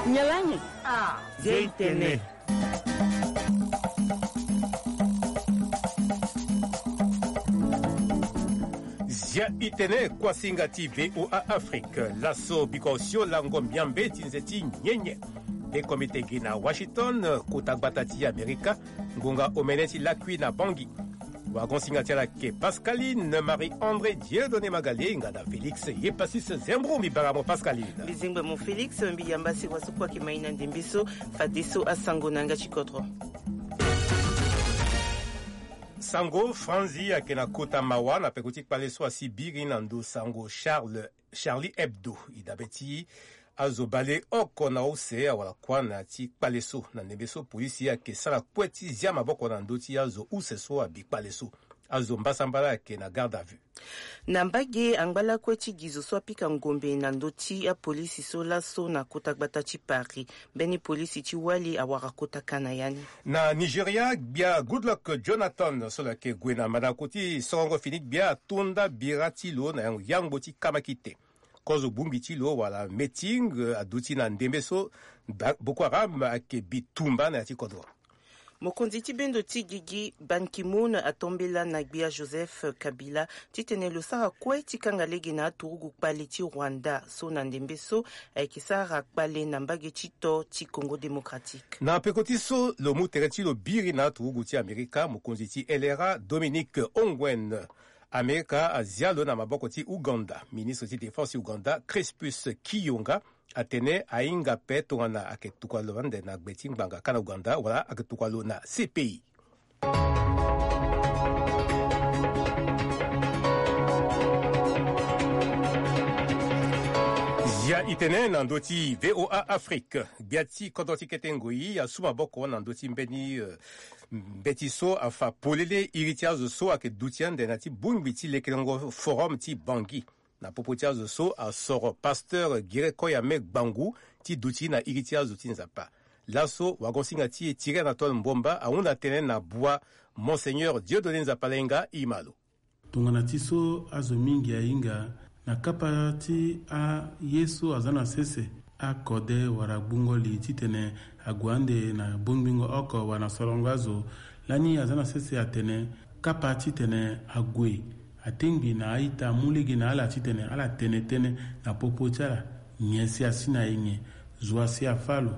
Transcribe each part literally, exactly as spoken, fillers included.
Nyalangi. Ah, Zia itene. Zia itene, kuasinga ti V O A Afrique. Laso biko osio lango miambe ti nze ti nyenye. Be komite gi na Washington, kota gbata ti Amerika, ngonga omene ti lakui na Bangui. Wagon singa ti ala ke Pascaline Marie André Dieudonné Magalenga na Félix Yepasis Zembro. Mbi bara mo Pascaline. Mbi zengbe mo Félix, mbi yamba si waso kue ayeke mai na ndembe so, fadeso asango na yanga ti kodro. Sango, Franzi ayeke na kota mawa na peko ti kpale so asi biri na ndo sango Charles, Charlie Hebdo. E dabe ti azo bale oko na use awara kuâ na ya ti kpale so. Na ndembe so polisi ayeke sara kue ti zia maboko na ndö ti azo use so abi kpale so. Azo mbasambala ayeke na garde à vue. Na mbage angba lakue ti gi zo so apika ngombe na ndö ti apolisi so laso na kota gbata ti Paris. Mbeni polisi ti wali awara kota ka na ya ni. Na Nigeria, gbia Goodluck Jonathan so lo yeke gue na mandako ti sorongo fini gbia atonda bira ti lo na yangbo ti kamakite. Kozo bongbi ti lo wala meeting, eh, aduti na ndembe so Boko Haram ayeke bitumba na ya ti kodro. Mokonzi ti bendo ti gigi Ban Ki-moon atombela na gbia Joseph Kabila titene lo sara kue ti kanga lege na aturugu kpale ti Rwanda so na ndembe so ayeke sara kpale na mbage ti to ti Congo Démocratique. Na peko ti so lo mu tere ti lo biri na aturugu ti Amerika, mokonzi ti L R A Dominique Ongwen. Amerika azia lo na maboko ti Ouganda. Ministre ti défense ti Ouganda, Crispus Kiyonga, atene ahinga ape tongana ayeke tokua lo ande na gbe ti ngbanga ka na Ouganda wala ayeke tokua lo na C P I. Zia itene na ndö ti V O A Afrique. Gbia ti kodro ti kete ngoi asu maboko na ndö ti mbeni, eh, mbeti so afa polele iri ti azo so ayeke duti ande na ya ti bongbi ti lekerengo Forum ti Bangui. Na popo ti azo so asoro pasteur Gere Koyame Gbangu ti duti na iri ti azo ti Nzapa. Laso wagon singa ti e Thierry Anatole Mbomba ahunda tënë na bua Monseigneur Dieudonné Nzapa Lainga. E ma lo. Tongana ti so azo mingi ahinga na kapa ti aye so aza na sese, akode wala gbungo li titene ague ande na bongbingo oko wala na sorongo azo. Lani aza na sese atene kapa titene ague, atengbi na a-ita amu lege na ala titene ala tene tënë na popo ti ala. Nyen si asi na e nyen? Zo asi afâ lo?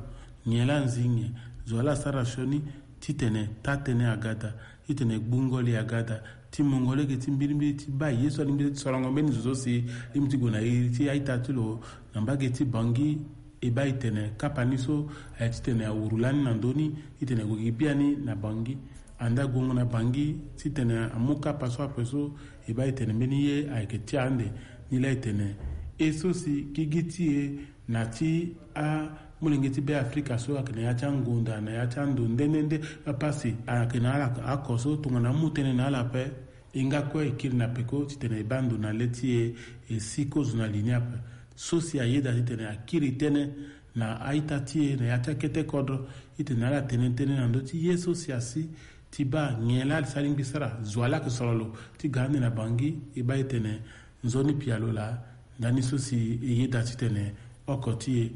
Nyen laa anzi nyen? Zo laa asara sioni? Titene taa-tënë aga daa, titene gbungo li aga daa, ti mungo lege ti mbirimbiri ti baa ye so alingbi ti sorongo mbeni zo so si lingbi ti gue na iri ti a-ita ti lo na mbage ti Bangui. E baa e tene kapa ni so aye titene awuru lani na ndö ni titene gue gi biani na Bangui. Ande ague ngo na Bangui titene amu kapa so ape so, e baa e tene mbeni ye ayeke ti ande. Ni laa e tene e so si gigi ti e na ti amolenge ti Be Afrika so ayeke na ya ti angonda, na ya ti ando nde nde nde, apasi ayeke na ala oko so tongana amu tënë na ala ape, e nga kue e kiri na peko titene e baa ndo na le ti e, e si kozo na li ni ape. So si ayeda titene akiri tënë na a-ita ti e na ya ti akete kodro titene ala tene tënë na ndö ti ye so si asi ti baa nyen laa si alingbi sara. Zo wa laa ayeke soro lo ti ga ande na Bangui, e baa e tene nzoni pialo laa. Ndani so si e yeda titene oko ti e,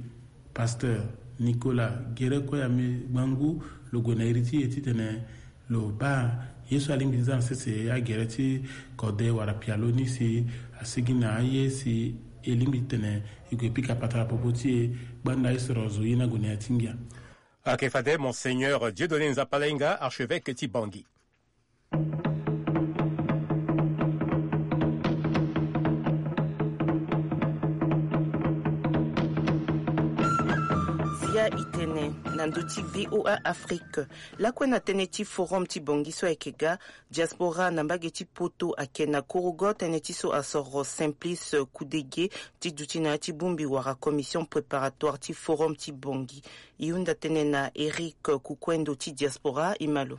pasteur Nicolas Gere Koyame Gbangu, lo gue na iri ti e titene lo baa ye so alingbi ti za na sese agere ti kode wala pialo ni si asigi na aye si e lingbi titene e gue pika patara popo ti e. Gbanda e soro zo ye ni ague na ya ti ngia. Ayeke fade Monseigneur Dieudonné Nzapa Lainga, archevêque ti Bangui. Zia itene na ndö ti V O A Afrique. Lakue na tënë ti Forum ti Bangui so ayeke ga, diaspora na mbage ti Poto ayeke na korogo tënë ti so asoro Simplice Kudege ti duti na ya ti bongbi wala commission préparatoire ti Forum ti Bangui. E hunda tënë na Eric Kukuendo ti diaspora. E ma lo.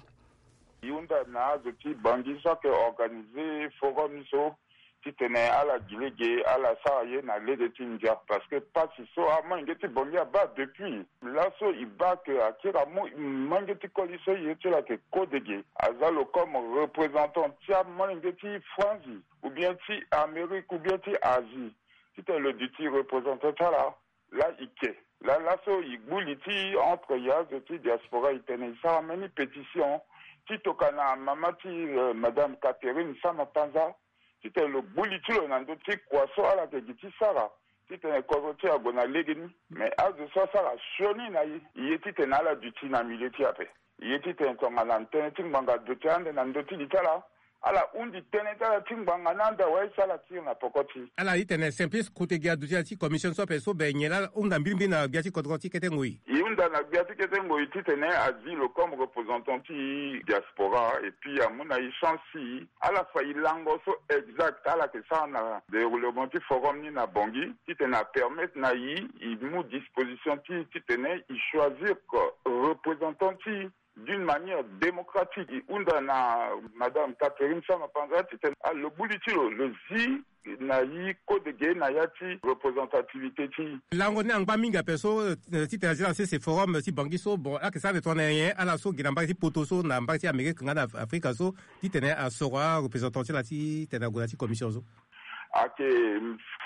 E hunda na azo ti Bangui so ayeke organiser forum ni so titene ala gi lege, ala sara ye na lege ti ndia, parce que pasi so amolenge ti Bangui abaa depuis laso, e baa ke akiri amu molenge ti koli so ye ti lo ayeke Kodege, aza lo comme représentant ti amolenge ti Franzi ou bien ti Amérique ou bien ti Asie, titene lo duti représentant ti ala. Laa e ke, laa Laso e gbu li ti entre e azo ti diaspora, e tene e sara mbeni pétition ti tokua na mama ti, eh, Madame Catherine Sama Panza, titene lo gbu li ti lo na ndö ti kua so ala yeke gi ti sara, titene kodro ti e ague na legeni. Me azo so asara sioni na e, e ye titene ala duti na milieu ti e ape. E ye titene tongana tënë ti ngbanga aduti ande na ndö ti li ti ala, ala hundi tënë ti ala ti ngbanga ni ande awe si ala tiri na poko ti e. Ala titene Simplice Kotege aduti na ya ti commission so ape so, be nyen laa ala hunda mbirimbiri na gbia ti kodro ti kete ngoi? E hunda na gbia ti kete ngoi titene azi lo comme représentant ti diaspora, et puis amu na e chance ti ala fa e lango so exact ala yeke sara na déroulement ti forum ni na Bangui, titene apermettre na e, e mu disposition ti, titene e choisir représentant ti e d'une manière démocratique. E hunda na Madame Catherine Sama Panza titene, ah, lo gbu li ti lo, lo zi na e kodege na ya ti représentativité ti e. Lango ni angba mingi ape so, eh, titene azi na sese forum ti Bangui so, bon, ayeke sara de tongana nyen ala so gi na mbage ti poto so, na mbage ti Amérique nga na Afrika so, titene asoro areprésentant ti ala titene ague na ya ti commission so? Ayeke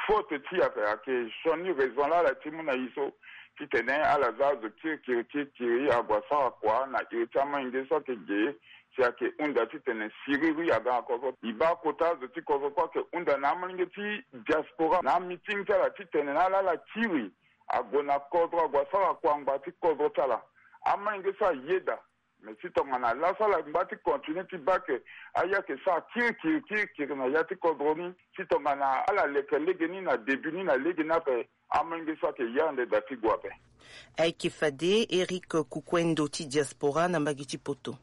faute ti e ape, ayeke sioni raison laa ala ti mu na e so, titene ala za azo kirikiri kirikiri ague asara kua na iri ti amolenge so ayeke ge, si ayeke hunda titene siriri aga na kodro. E baa kota azo ti kodro kue ayeke hunda na amolenge ti diaspora na amiting ti ala titene na ala ala kiri ague na kodro ague asara kua angba ti kodro ti ala. Amolenge so ayeda. Mais si tongana laso ala ngba ti continuer ti baa ke aya ayeke sara kirikiri kirikiri na ya ti kodro ni, si tongana ala leke lege ni na début ni na lege ni ape, amolenge so ayeke ya ande da ti gue ape. Ayeke fade Eric Kukuendo ti diaspora na mbage ti poto.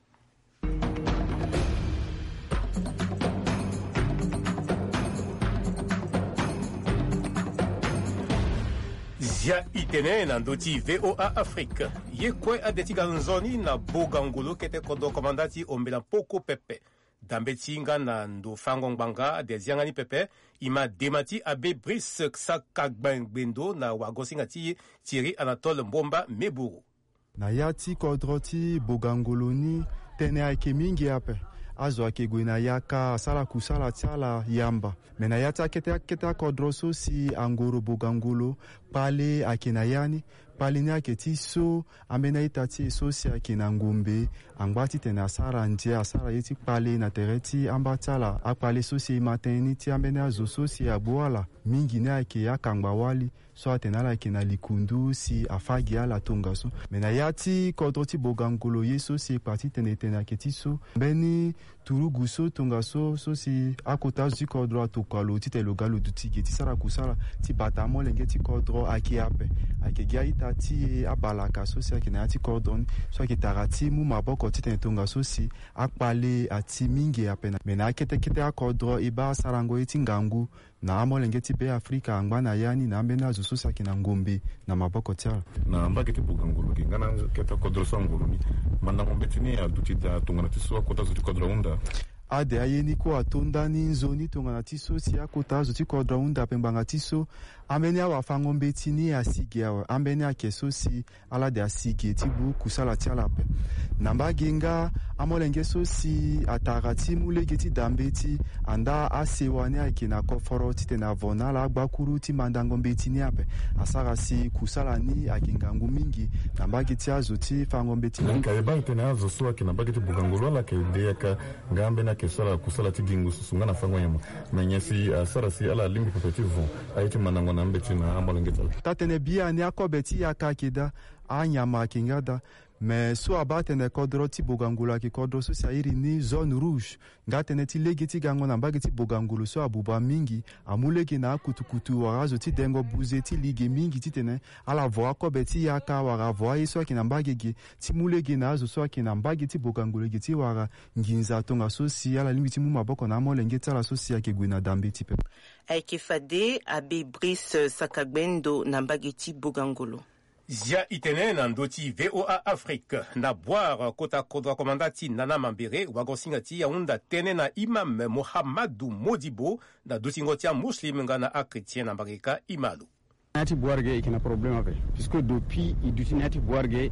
Zia e tene na ndö ti V O A Afrique. Ye kue ade ti ga nzoni na Bogangolo kete kodro komanda ti Ombela Mpoko pepe. Dambe ti hinga na ndo fango ngbanga ade zianga ni pepe. E ma dema ti Abbé Brice Sakagbendo na wagosinga ti Thierry Anatole Mbomba Meburu. Na ya ti kodro ti Bogangolo ni, tënë ayeke mingi ape. Azo ayeke gue na yaka asara kusala ti ala yamba. Me na ya ti akete akete akodro so si angoro Bogangolo, kpale ayeke na ya ni. Kpale ni ayeke ti so ambeni a-ita ti e so si ayeke na ngombe angba titene asara ndia, asara ye ti kpale na tere ti amba ti ala. Akpale so si e ma tënë ni ti ambeni azo so si agbu ala mingi ni ayeke akangba-wali so atene ala yeke na likundu si afâ gi ala tongaso. Me na ya ti kodro ti Bogangolo ye so si e kpa titene e tene ayeke ti so, mbeni turugu so tongaso so si akota azo ti kodro atokua lo titene lo ga lo duti ge ti sara kusala ti bata amolenge ti kodro ayeke ape. Ayeke gi a-ita ti e abalaka so si ayeke na ya ti kodro ni so ayeke tara ti mu maboko titene tongaso si akpale ati mingi ape na, me na akete kete akodro e baa asarango ye ti ngangu na amolenge ti Beafrika angba na ya ni na ambeni azo so si ayeke na ngombe na maboko ti ala. Na mbage ti Bogangolo ge nga na kete kodro so angoro ni, mandango mbeti ni aduti daa tongana ti so akota zo ti kodro ahunda. Ade aye ni kue ato ndani nzoni tongana ti so si akota zo ti kodro ahunda ape ngbanga ti so ambeni awafango mbeti ni asi ge awe. Ambeni ayeke so si ala de asi ge ti gbu kusala ti ala ape. Na mbage nga amolenge so si atara ti mu lege ti da mbeti andaa asewa ni ayeke na koforo titene avo na ala agbakuru ti mandango mbeti ni ape. Asara si kusala ni ayeke ngangu mingi na mbage ti azo ti fango mbeti ni. Ka e baa e tene azo so ayeke na mbage ti Bogangolo ala yeke de yaka nga ambeni ayeke so ala kusala ti gi ngu susu nga na fango nyama. Me nyen si asara si ala lingbi pepe ti vo aye ti mandango na mbeti na amolenge ti ala? Taa-tënë biani akobe ti yaka ayeke daa, anyama ayeke nga daa. Me so abaa tene kodro ti Bogangolo ayeke kodro so si a iri ni zone rouge. Nga tënë ti lege ti gango na mbage ti Bogangolo so abuba mingi, amu lege na akutukutu wala azo ti dengo buze ti li ge mingi titene ala vo akobe ti yaka wala avo aye so ayeke na mbage ge ti mu lege na azo so ayeke na mbage ti Bogangolo ge ti wara nginza tongaso si ala lingbi ti mu maboko na amolenge ti ala so si ayeke gue na da mbeti pepe. Ayeke fade Abbé Brice Sakagbendo na mbage ti Bogangolo. Zia e tene na ndö ti V O A Afrique. Na Bouar, kota kodro komanda ti Nana Mambere, wagosinga ti e ahunda tënë na imam Mohamadu Modibo na dutingo ti amuslim nga na achrétien na mbage kâ. E ma lo. Na ya ti Bouar ge e yeke na problème ape, puisque depuis e duti na ya ti Bouar ge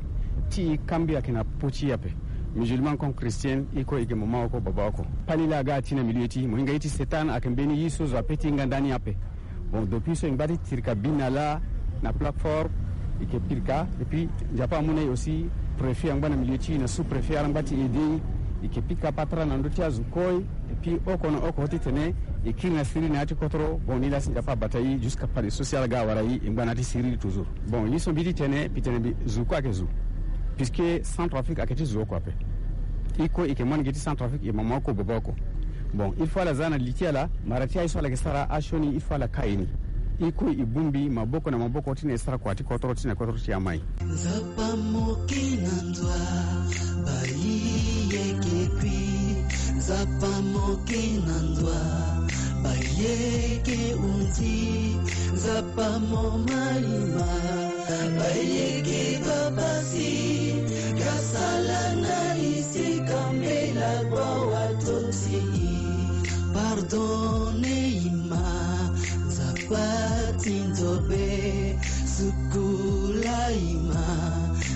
ti e kambi ayeke na po ti e ape. Musulman comme chrétien, e kue e yeke mama oko baba oko. Kpali laa aga ati na milieu ti e, mo hinga ye ti Satan ayeke mbeni ye so zo ape ti hinga ndani ape. Bon, depuis so e ngba ti tirika bi na laa na plateforme, E ke pika, et puis Nzapa amu na e aussi préfet angba na milieu ti e na sous-préfet ala ngba ti aider e. E ke pika patara na ndö ti azo kue. Et puis oko na oko titene e kiri na siriri na ya ti kotoro. Bon, ni laa si Nzapa abata e jusqu'à pade so si ala ga awara e, e ngba na ya ti siriri toujours. Bon, ye so mbi titene, mbi tene mbi zo kue ayeke zo. Puisque Centrafrique ayeke ti zo oko ape. E kue e yeke mu lege ti Centrafrique, e mama oko baba oko. Bon, il faut ala za na li ti ala, mara ti aye so ala yeke sara asioni, il faut ala ka e ni. E kue e bongbi maboko na maboko titene e sara kua ti kotoro ti na kotoro ti amai. Nzapa moke na ndwa, bayi yeke kui. Nzapa moke na ndwa, bayi yeke hundi. Nzapa mo maima, bayi yeke babasi. Gasala na isi kambela gbawa toti. Pardonne ima, Nzapa ti ndo be. Sukula ima,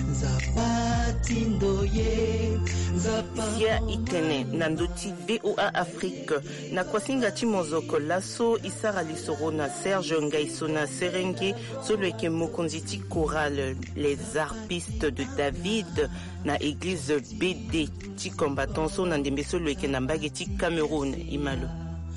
Nzapa ti ndo ye. Nzapa. Zia itene na ndö ti V O A Afrique. Na kuasinga ti mozoko laso, e sara lisoro na Serge Ngaisona Serenge, so lo yeke mokonzi ti chorale Les Harpistes de David na eglize B D ti Combattant so na ndembe so lo yeke na mbage ti Cameroun. E ma lo.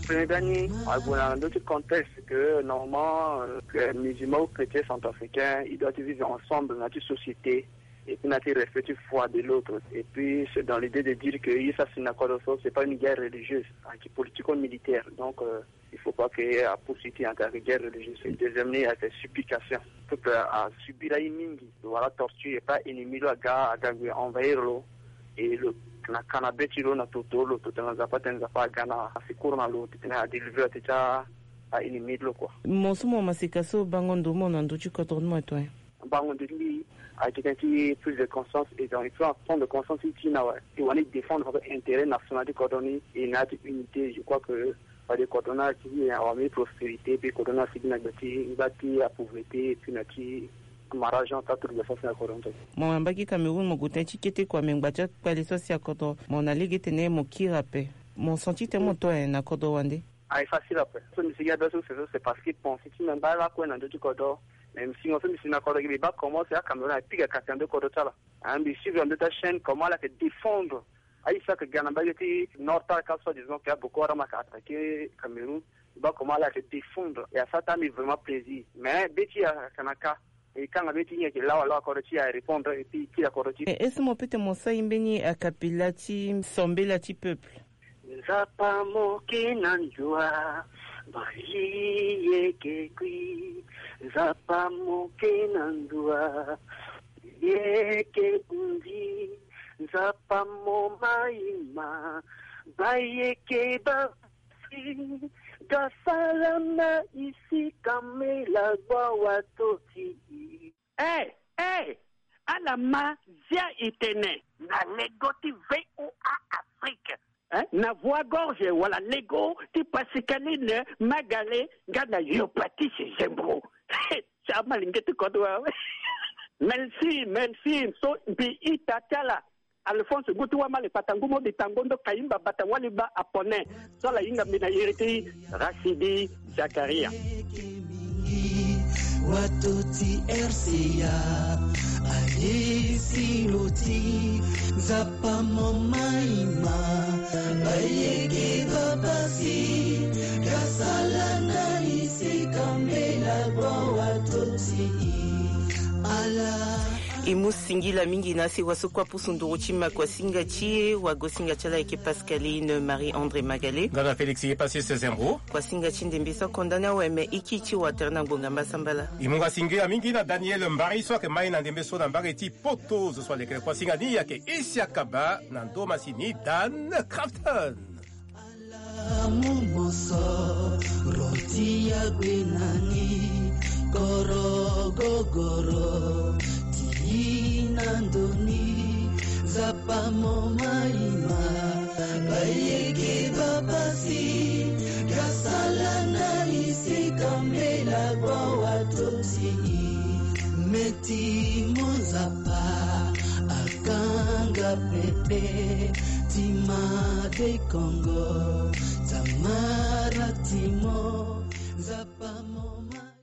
Premier gani ague na ndö ti contexte que normalement, euh, que musulman ou chrétien centrafricain, il doit vivre ensemble na ti société et puis na ti respect ti foi de l'autre. Et puis c'est dans l'idée de dire que ye so asi na kodro so, c'est pas une guerre religieuse, ayeke politico-militaire. Donc, euh, il faut pas que apoursuit ti entre ayeke guerre religieuse. Deuxième ni ayeke supplication. Peuple asubir aye mingi, wala torture, e pas ennemi lo aga, aga gue envahir lo. E lo na ka na be ti lo na toto lo, toto na Nzapa titene Nzapa aga na asecours na lo titene adélivrer lo teti a ennemi ti lo kua. Mo so mo maseka so bango ndo mo na ndö ti kodro ni mo etoin. Bango ndo ti mbi ayeke tënë ti prise de conscience, et donc il faut prendre conscience ti na awe, e wani défendre intérêt national ti kodro ni, e na ya ti unité. Je crois que fade kodro ni asi awara mbeni prospérité, pe kodro ni asi gi na gbe ti ngba ti apauvreté, et puis na ti mara agent ti aturuga so asi na kodro ni. Mo na mbage ti Cameroun, mo gue tënë ti kete kua, me ngba ti akpale so asi na kodro, mo na lege titene mo kiri ape. Mo senti titene mo to na kodro wande. Aye facile ape. So mbi sigi abe so, c'est parce que pensé ti mbi angba lakue na ndö ti kodro. Mais mbi singo so mbi si na kodro gi, mbi baa comment c'est à Cameroun ayeke pika kati na ndö kodro ti ala. Ah, mbi suivre na ndö ti achaîne comment ala yeke défendre aye so ayeke ga na mbage ti nord ti ala ka, soi-disant que a Boko Haram ayeke attaquer Cameroun. Mbi baa comment ala yeke défendre, e asara ti mbi vraiment plaisir. Mais be ti e ayeke na ka, e kanga be ti e, e yeke lawa lawa kodro ti e, a répondre et puis e kiri kodro ti e. Est-ce que mo peut ti mo sara mbeni akapela ti sambela ti peuple? Nzapa moke na ndwa, bayi yeke kui. Nzapa moke na ndwa, yeke hundi. Nzapa mo maima, bayi yeke ba Gasala na isi kambela gbawa toti. Eh, eh, ala ma zia itene. Na lego ti V O A Afrique. Eh, na voie gorge wala lego ti Pascaline Magale nga na Yopatise Zembro. Ti amalenge ti kodro awe. Merci, merci. So mbi ita ti ala. Alphonse Gutu Wamale Patangu Modi Tangondo Kayimba Bata Waliba Apone. So ala hinga mbi na iri ti Rasidi Zakaria. Watoti R C A, aye si lo ti Nzapa mo maima, bayeke babasi, gasala na isi kambela gbo watoti. Ala. E mu singila mingi na sewa so kue apusu nduru ti makuasinga ti e, wagosinga ti ala ayeke Pascaline Marie André Magale. Nga na Félix Yepassis Zembo. Kuasinga ti ndembe so akonda ni awe, me e kiri ti wa tere na ngbonga mbasambala. E mu nga singila mingi na Daniel Mbari so ayeke mai na ndembe so na mbage ti Poto. Zo so alekere kuasinga ni ayeke Isiaka Ba na ndo masini Dan Crafton. Ala mu mosoro ti ague na ni, koro gogoro ti na ndo ni, Nzapa mo maima, bayeke babasi, gasala na isi kambela gbo watoti. Meti mo Nzapa akanga pepe, ti ma de Kongo, tamara ti mo, Nzapa mo ma.